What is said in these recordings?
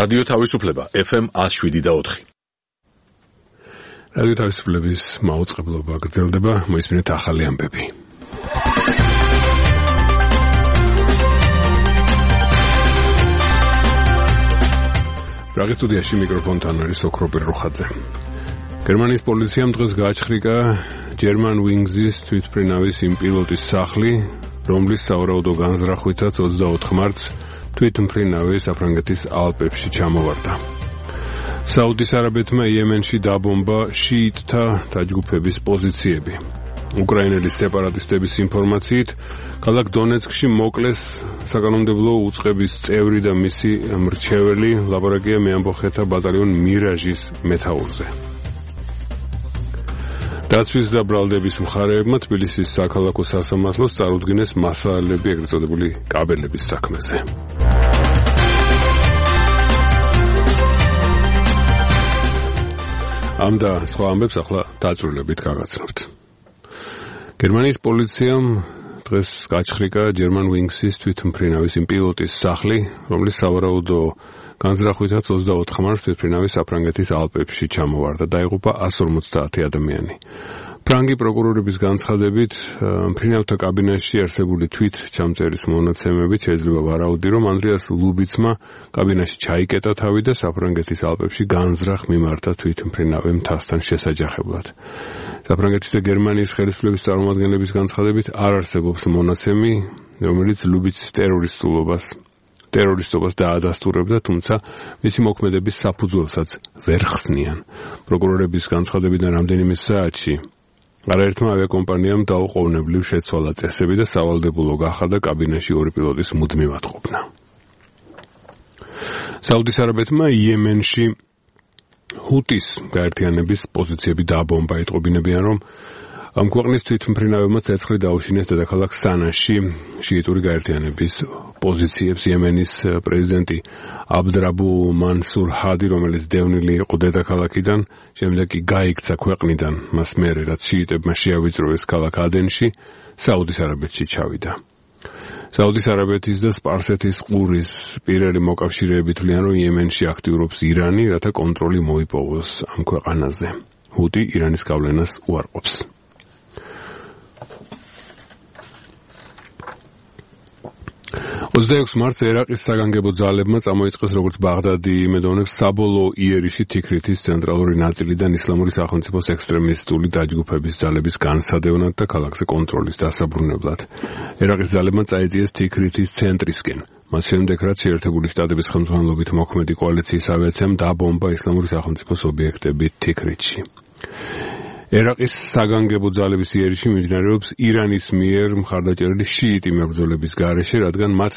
რადიო თავისუფლება FM 107.4. რადიო თავისუფლების მაუწყებლობა გრძელდება, მოისმინეთ ახალი ამბები. პრაღის სტუდიაში მიკროფონთან არის ოქროპირ რუხაძე. გერმანიის პოლიციამ დღეს გააჩხრიკა German Wings-ის თვითმფრინავის იმ პილოტის სახლი, რომლის სავარაუდო განზრახვითაც 24 მარტს თვითმფრინავი საფრანგეთის ალპებში ჩამოვარდა. საუდის არაბეთმა იემენში დაბომბა შიიტთა დაჯგუფების პოზიციები. უკრაინელი სეპარატისტების ინფორმაციით, ქალაქ დონეცკში მოკლეს საკანონმდებლო უწყების წევრი და მისი მრჩეველი ლაპარაკია მეამბოხეთა ბატალიონ მირაჟის მეთაურზე. დაცვის და ბრალდების მხარეებმა თბილისის საქალაქო სასამართლოს წარუდგინეს მასალები ეგრეთ წოდებული კაბელების საქმეზე. ამ და სხვა ამბებს ახლა დაწვრილებით გაგაცნობთ. გერმანიის პოლიციამ დღეს გაჩხრიკა German Wings-ის თვითმფრინავის იმ პილოტის სახლი, რომლის სავარაუდო განზრახვითაც 24 მარტს თვითმფრინავი საფრანგეთის ალპებში ჩამოვარდა. დაიღუპა 150 ადამიანი. ფრანგი პროკურორების განცხადებით, მფრინავთა კაბინაში არსებული თვით ჩამწერის მონაცემებით შეიძლება ვარაუდი, რომ ანდრეას ლუბიცმა კაბინაში ჩაიკეტა თავი და საფრანგეთის ალპებში განზრახ მიმართა თვითმფრინავი მთასთან შესაჯახებლად. საფრანგეთის და გერმანიის ხელისუფლების წარმომადგენლების განცხადებით არ არსებობს მონაცემი, რომელიც ლუბიცის ტერორისტობას დაადასტურებდა, თუმცა მისი მოქმედების საფუძველსაც ვერ ხსნიან. პროკურორების განცხადებიდან რამდენიმე საათში არაერთმა ავიაკომპანიამ დაუყოვნებლივ შეცვალა წესები და სავალდებულო გახადა კაბინაში ორი პილოტის მუდმივად ყოფნა. საუდის არაბეთმა იემენში ჰუტის გაერთიანების პოზიციები დააბომბა. იტყობინებიან, რომ ამ ქვეყნის თვითმფრინავებმა ცეცხლი დაუშინეს დედაქალაქ სანაში შიიტური გაერთიანების პოზიციებს. იემენის პრეზიდენტი აბდრაბუ მანსურ ჰადი, რომელიც დევნილი იყო დედაქალაქიდან, შემდეგ კი გაიქცა ქვეყნიდან, მას მერე რაც შიიტებმა შეავიწროეს ქალაქ ადენში, საუდის არაბეთში ჩავიდა. საუდის არაბეთის და სპარსეთის ყურის პირელი მოკავშირეები თვლიან, რომ იემენში აქტიურობს ირანი, რათა კონტროლი მოიპოვოს ამ ქვეყანაზე. ჰუტი ირანის გავლენას უარყოფს. 26 მარტს ერაყის საგანგებო ძალებმა წამოიწყეს, როგორც ბაღდადი იმედოვნებს, საბოლოო იერიში თიქრითის ცენტრალური ნაწილიდან ისლამური სახელმწიფოს ექსტრემისტული დაჯგუფების ძალების განსადევნად და ქალაქზე კონტროლის დასაბრუნებლად. ერაყის ძალებმა წაიწიეს თიქრითის ცენტრისკენ. მას შემდეგ, რაც შეერთებული შტატების ხელმძღვანელობით მოქმედი კოალიციის ავიაციამ დაბომბა ისლამური სახელმწიფოს ობიექტები თიქრითში. ერაყის საგანგებო ძალების იერიში მიმდინარეობს ირანის მიერ მხარდაჭერილი შიიტი მებრძოლების გარეშე, რადგან მათ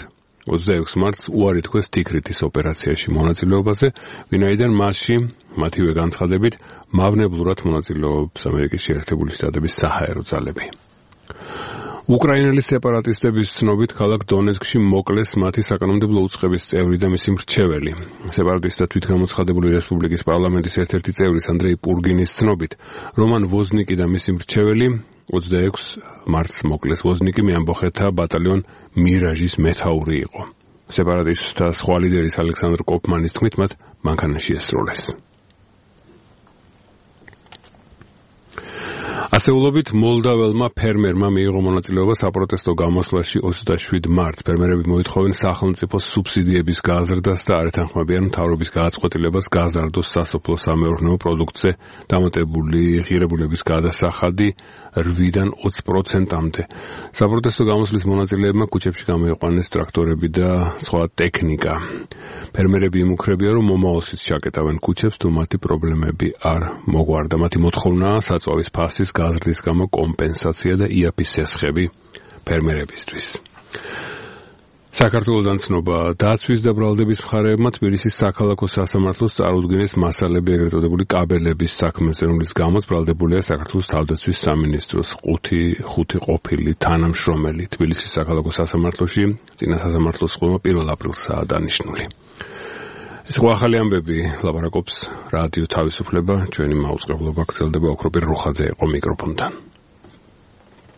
26 მარტს უარი თქვეს თიქრითის ოპერაციაში მონაწილეობაზე, ვინაიდან მასში მათივე განცხადებით მავნებლურად მონაწილეობს ამერიკის შეერთებული შტატების საჰაერო ძალები. უკრაინელი სეპარატისტების ცნობით ქალაქ დონეცკში მოკლეს მათი საკანონმდებლო უწყების წევრი და მისი მრჩეველი. სეპარატისტთა თვითგამოცხადებული რესპუბლიკის პარლამენტის ერთ-ერთი წევრის ანდრეი პურგინის ცნობით, რომან ვოზნიკი და მისი მრჩეველი 26 მარტს მოკლეს. ვოზნიკი მეამბოხეთა ბატალიონ მირაჟის მეთაური იყო. სეპარატისტთა სხვა ლიდერის ალექსანდრ კოფმანის თქმით, მათ მანქანაში ესროლეს. ასეულობით მოლდაველმა ფერმერმა მიიღო მონაწილეობა საპროტესტო გამოსვლაში 27 მარტს. ფერმერები მოითხოვენ სახელმწიფოს სუბსიდიების გაზრდას და არ ეთანხმებიან მთავრობის გადაწყვეტილებას გაზარდოს სასოფლო-სამეურნეო პროდუქტზე დამატებული ღირებულების გადასახადი 8-დან 20%-მდე. საპროტესტო გამოსვლის მონაწილეებმა ქუჩებში გამოიყვანეს ტრაქტორები და სხვა ტექნიკა. ფერმერები იმუქრებიან, რომ მომავალშიც ჩაკეტავენ ქუჩებს, თუ მათი პრობლემები არ მოგვარდა. მათი მოთხოვნაა საწვავის ფასის გაზრდის გამო კომპენსაცია და იაფის სესხები ფერმერებისთვის. საქართველოდან ცნობა. დაცვის და ბრალდების მხარეებმა თბილისის საქალაქო სასამართლოს წარუდგინეს მასალები ეგრეთ წოდებული კაბელების საქმეზე, რომლის გამოც ბრალდებულია საქართველოს თავდაცვის სამინისტროს 5 ყოფილი თანამშრომელი. თბილისის საქალაქო სასამართლოში წინა სასამართლოს ყურმა 1 აპრილსაა დანიშნული. ეს ხო ახალი ამბები ლაპარაკობს რადიო თავისუფლება, ჩვენი მაუწყებლობა გრძელდება, ოქროპირ რუხაძე იყო მიკროფონთან.